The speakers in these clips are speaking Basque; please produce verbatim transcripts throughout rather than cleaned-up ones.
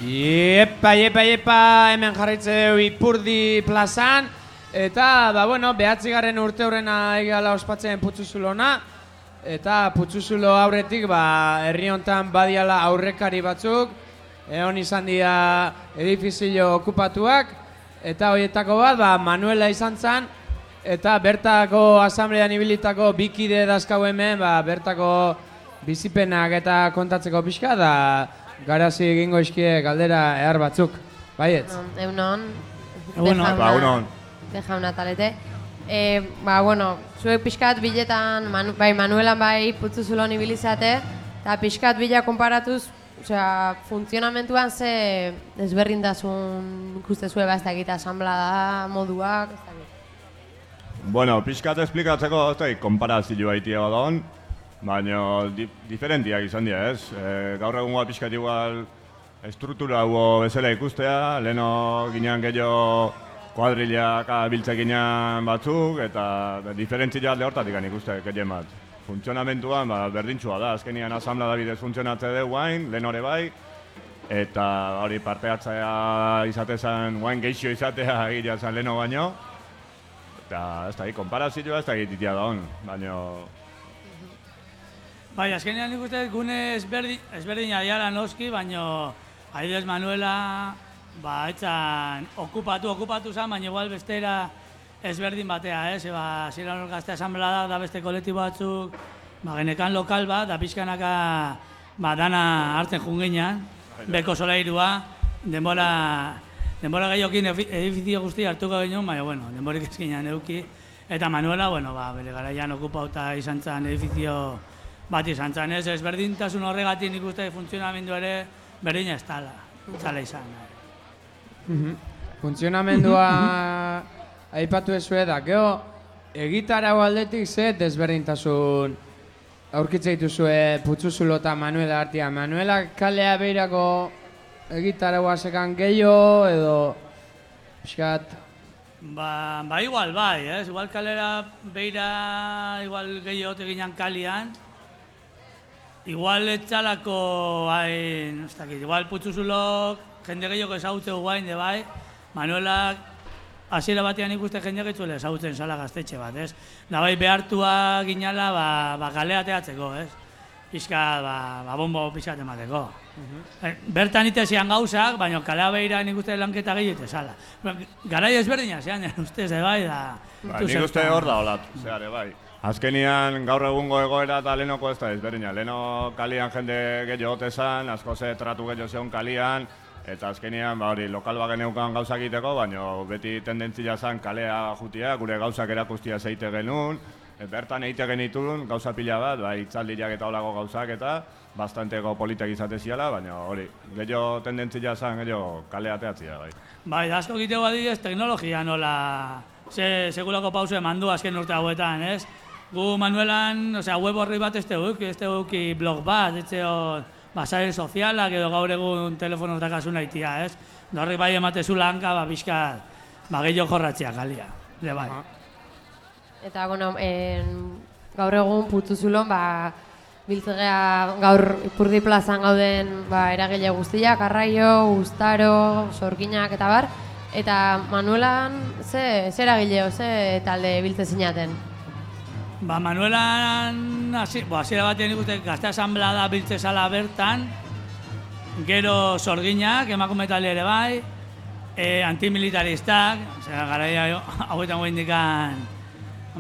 Iepa, iepa, iepa, hemen jarraitzeu Ipurdi plazan. Eta, ba, bueno, behatzigarren urte horrena egala ospatzen Putzuzulona. Eta Putzuzulo aurretik, ba, herri hontan badiala aurrekari batzuk. Egon izan dira edifizio okupatuak. Eta horietako bat, ba, Manuela izan zen. Eta bertako asamblean ibilitako bikide dazkau hemen, ba, bertako bizipenak eta kontatzeko pixka, da garazi egingo iskie galdera ehar batzuk. Baietz? Egunon. Egunon. Bejauna talete. E, ba, bueno, zuek pixkat biletan, manu, bai Manuelan bai Putzuzulon ibilizate, eta pixkat bila konparatuz, osea, funtzionamentuan ze desberdintasun ikustezue ba ez dakit asanblada moduak, ez dakit. Bueno, pixkat esplikatzeko, ez dakit, konparazioa itia badon, baina di, diferentiak izan dira, ez? E, gaur egungoa pixkat igual estruktura hubo bezala ikustea, leheno ginean gehiago kuadrilak biltzek ginean batzuk, eta diferentzia alde hortatik ikuste gehien bat. Funtzionamentuan ba, berdintxua da, azkenian asamblea bidez funtzionatze du guain, lehen hori bai, eta hori parte hartzea izatezan, guain geixio izatea egitea zen leheno baino, eta ez da, konparazioa ez da egititia da hon, baina... Bai, azkenean nik uste gune ezberdin, ezberdina diala noski, baina Aidez Manuela ba, etzan okupatu, okupatu zen, baina igual bestera ezberdin batea, ez? Ba, ziren hor gazte asanblada da beste kolektibo batzuk, ba, genekan lokal bat, da pixkanaka ba, dana hartzen junginan, beko solairua, denbora, denbora gehiokin edifizio guzti hartuko genuen, baina, bueno, denborik ezkinan euki. Eta Manuela, bueno, ba, bere garaian okupauta izan zen edifizio bat izan zen, ez? Ezberdintasun horregatik nik uste funtzionamendu ere berdina ez tala, tala izan. Mm-hmm. Funtzionamendua aipatu ezue da, geho, egitarau aldetik ze desberdintasun aurkitze dituzue Putzuzulo eta Manuela artean. Manuela kalea behirako egitaraua sekan gehiago edo pixkat? Ba, ba igual bai, ez? Igual kalera behira igual gehiago teginan kalian. Igual etxalako hain, ez dakit, igual Putzuzulok jende gehiago ezagutzeu guain, de bai, Manuelak hasiera batean ikuste jende gehiago ezagutzen zala gaztetxe bat, ez? Da bai behartua ginala, ba, ba galea teatzeko, ez? Pixka, ba, ba bombo pixkat emateko. Uh-huh. Bertan itezian gauzak, baina kalea behira nik uste lanketa gehiago zala. Garai ezberdina zean, ustez, de bai, da... Ba, nik uste hor da olatu, zeare, bai. Azkenian gaur egungo egoera eta lehenoko ez da ezberdina. Leheno kalian jende gehiago otezan, asko ze tratu gehiago zeon kalian, eta azkenian ba, hori lokal bagen eukan gauzak egiteko, baina beti tendentzia zen kalea jutia, gure gauzak erakustia zeite genuen, bertan egite genitun gauza pila bat, ba, itzaldiak eta olako gauzak eta bastanteko politek izate ziala, baina hori, gehiago tendentzia zen gehiago kalea teatzia. Bai, bai da asko egiteko adibidez teknologia nola, ze segulako pausu eman du azken urte hauetan, ez? Gu Manuelan, osea, web horri bat ez teguk, ez teguk blog bat, ez teguk basare sozialak edo gaur egun telefonoz dakasuna itia, ez? Horri bai ematezu lanka, ba, pixka, ba, gehiago jorratzea galia, de bai. Eta, bueno, en, gaur egun Putzuzulon, ba, biltzegea gaur Ipurdi plazan gauden ba, eragile guztiak, Arraio, Uztaro, Sorginak eta bar, eta Manuelan ze, ze eragileo, ze talde biltze zinaten? Ba, Manuelan, hasiera batean ikusten gazte asanblada biltze zala bertan, gero Sorginak, emakume talde ere bai, e, antimilitaristak, osea, garaia hauetan goa indikan,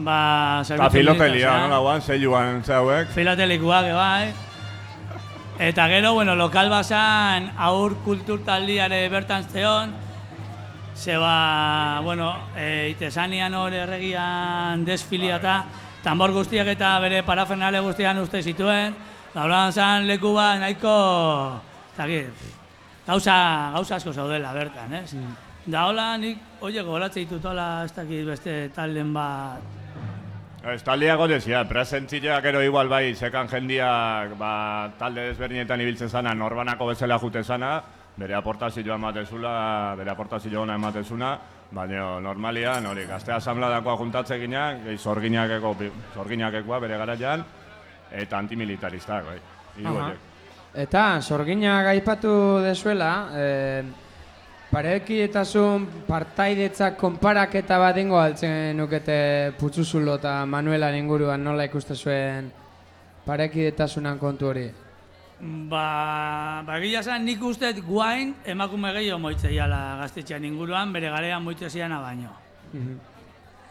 ba, eta filotelia, nola guan, zeiluan zeuek. Filotelikuak, bai. Eta gero, bueno, lokal basan aur kultur taldiare bertan zeon, zeba, bueno, e, itesanian hor erregian desfiliata, tambor guztiak eta bere parafernale guztian uste zituen, lauran zan leku bat nahiko, zakit, gauza, gauza asko zaudela bertan, ez? Mm. Da hola nik, oie, gogoratze ditut hola, ez dakit beste talden bat. Ez taldeak odezia, presentzileak ero igual bai, sekan jendiak ba, talde desberdinetan ibiltzen zana, norbanako bezala jute zana, bere aportazioa ematezula, bere aportazioa ona ematezuna, baina normalian, hori, gazte asanbladakoa juntatze ginean, gehi zorginakekoa bere garaian, eta antimilitaristak, bai. Eta, sorginak aipatu dezuela, e, parekietasun partaidetzak konparaketa bat dingo altzen nukete Putzuzulo eta Manuelan inguruan nola ikuste zuen parekidetasunan kontu hori? Ba, ba egia esan nik usteet guain emakume gehiago moitzeiala gaztetxean inguruan, bere garean moitze ziana baino.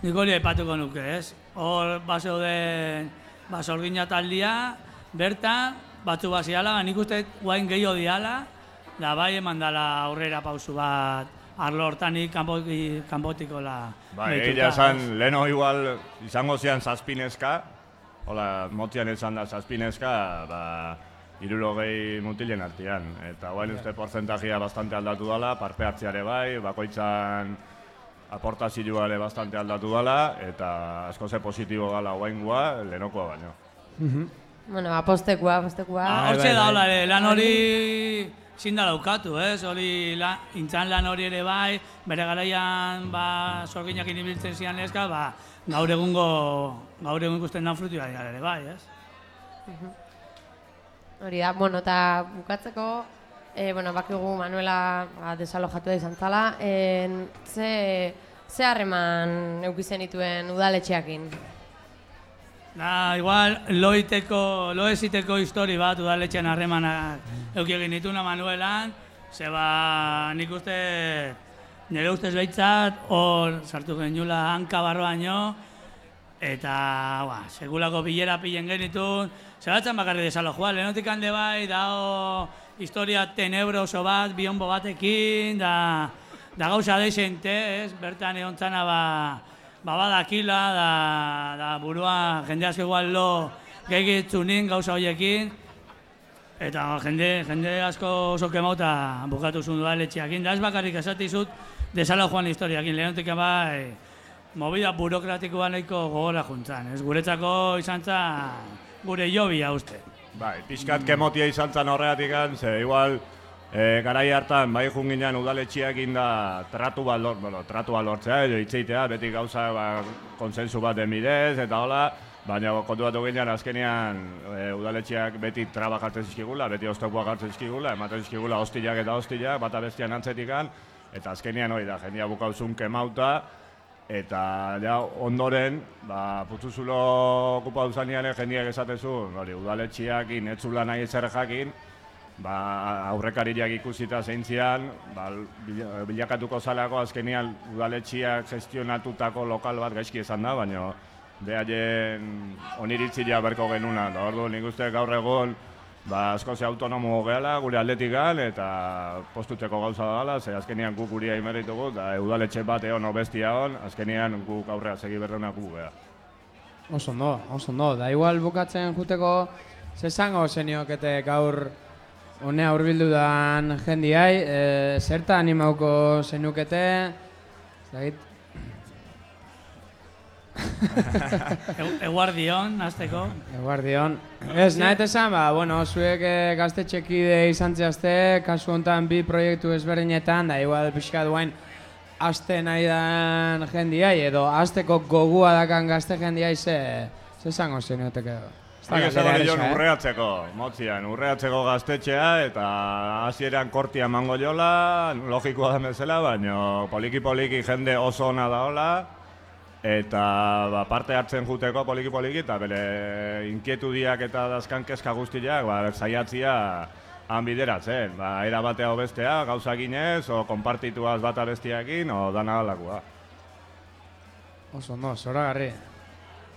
Nik hori aipatuko nuke, ez? Hor, bazeuden, ba, sorgina taldia, bertan, batzu baziala, nik usteet guain gehiago diala, da bai eman dala aurrera pausu bat arlo hortanik kanpotiko la Bai, egia esan, leheno igual izango zian zazpinezka, hola, motian izan da zazpinezka, ba, hirurogei mutilen artean. Eta guain uste porzentajia bastante aldatu dela, parpe hartzeare bai, bakoitzan aportazioa ere bastante aldatu dela, eta asko ze positibo gala guaingoa, lehenokoa baino. Bueno, apostekoa, apostekoa. Hortxe da, hola, lan hori zin da laukatu, ez? Hori intzan lan hori ere bai, bere garaian ba, sorginak inibiltzen zian eska, ba, gaur egungo, gaur egun ikusten dan frutua dira ere bai, ez? Hori da, bueno, eta bukatzeko, e, bueno, bakigu Manuela ba, desalojatu da izan zala, e, ze, ze harreman eukizen dituen udaletxeakin? Da, igual, loiteko, loeziteko histori bat udaletxean harremanak euki egin dituna Manuelan, zeba nik uste, nire ustez behitzat, hor sartu geniola hanka barroaino, eta, ba, segulako bilera pilen genitun, zebatzen bakarri desalojua, lehenotik hande bai, dao historia tenebroso bat, bionbo batekin, da, da gauza deixente, ez, bertan egon zana, ba, ba badakila, da, da burua jende asko igual lo gehiagitzunin gauza horiekin, eta jende, jende asko oso kemauta bukatu zuen udaletxeakin, da ez bakarrik esatizut desalojoan historiakin, lehenotik bai, movida burokratikoa nahiko gogora juntzan, ez guretzako izan zan gure jobia uste. Bai, pixkat kemotia izan zan horregatik, ze igual e, garai hartan bai junginan udaletxiak inda tratu bat lort, bueno, tratu bat lortzea, edo hitzeitea, beti gauza ba, konsensu bat bidez, eta hola, baina kontu bat ginean azkenean e, udaletxiak beti traba jartzen zizkigula, beti oztopoak jartzen zizkigula, ematen zizkigula hostilak eta hostilak, bata bestian antzetikan, eta azkenean hori da, jendia bukauzun kemauta, eta ja, ondoren, ba, Putzuzulo okupa duzanean jendiak esatezun, hori, udaletxiak inetzula nahi ezer jakin, ba, aurrekariak ikusita zeintzian, ba, bilakatuko zalako azkenean udaletxiak gestionatutako lokal bat gaizki esan da, baina behaien oniritzia berko genuna. Da, ordu, nik uste gaur egon, ba, asko ze autonomo gehala gure atletikan eta postuteko gauza dela, ze azkenean guk guria imerritugu, da udaletxe bat egon bestia hon, azkenean guk aurrea segi berrenak gu geha. Oso ondo, oso ondo, da igual bukatzen juteko zezango zeniokete gaur honea hurbildu dan jendiai, e, zerta animauko zenukete, zagit? Eguardion, azteko. Eguardion. Ez, nahet esan, ba, bueno, zuek e, gaztetxekide izan zehazte, kasu honetan bi proiektu ezberdinetan, da igual pixka duain aste nahi dan jendiai, edo asteko gogua dakan gazte jendiai, ze, ze zango zenuteke edo. Nik esan hori joan urreatzeko, motzian, urreatzeko gaztetxea eta hasieran kortia emango jola, logikoa da bezala, baina poliki-poliki jende oso ona da hola, eta ba, parte hartzen juteko poliki-poliki eta bere inkietudiak eta dazkan kezka guztiak ba, zaiatzia han bideratzen. Ba, era batea o bestea, gauza ginez, o konpartituaz bata bestiakin, o dana alakoa. Oso ondo, zoragarri.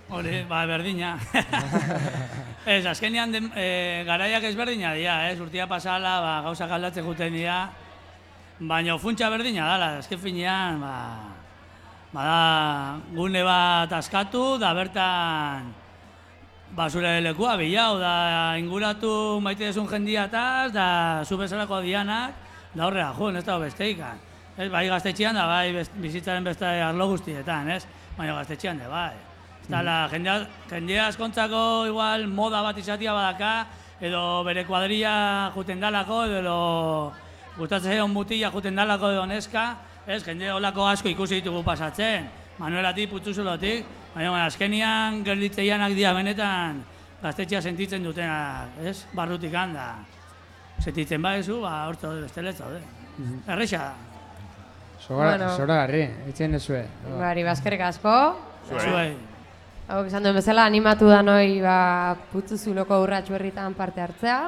Hori, ba, berdina. Ez, azkenean de, e, garaiak ezberdina dira, ez, urtia pasala, ba, gauza galdatzen juten dira, baina funtsa berdina dala, azken finean, ba, bada, gune bat askatu, da bertan, ba, zure lekua bilau, da inguratu maite dezun jendiataz, da zu bezalako dianak, da horrela jun, ez da besteikan. Ez, bai gaztetxean da, bai bizitzaren beste arlo guztietan, ez, baina gaztetxean da, bai. Eta jendea, jendea askontzako igual moda bat izatia badaka, edo bere kuadrilla juten dalako, edo gustatzen zeon mutila juten dalako edo neska, ez, jende holako asko ikusi ditugu pasatzen, Manuelatik, Putzuzulotik, baina azkenian gerditzeianak dira benetan gaztetxea sentitzen dutenak, ez, barrutik handa. setitzen badezu, ba, hortzo bestela ez zaude. Erresa da. Bueno. Zoragarri, itzen dezue. Bari, bazkerrik asko. Zuei. Hau, esan duen bezala, animatu da noi ba, Putzuzuloko urratxu herritan parte hartzea.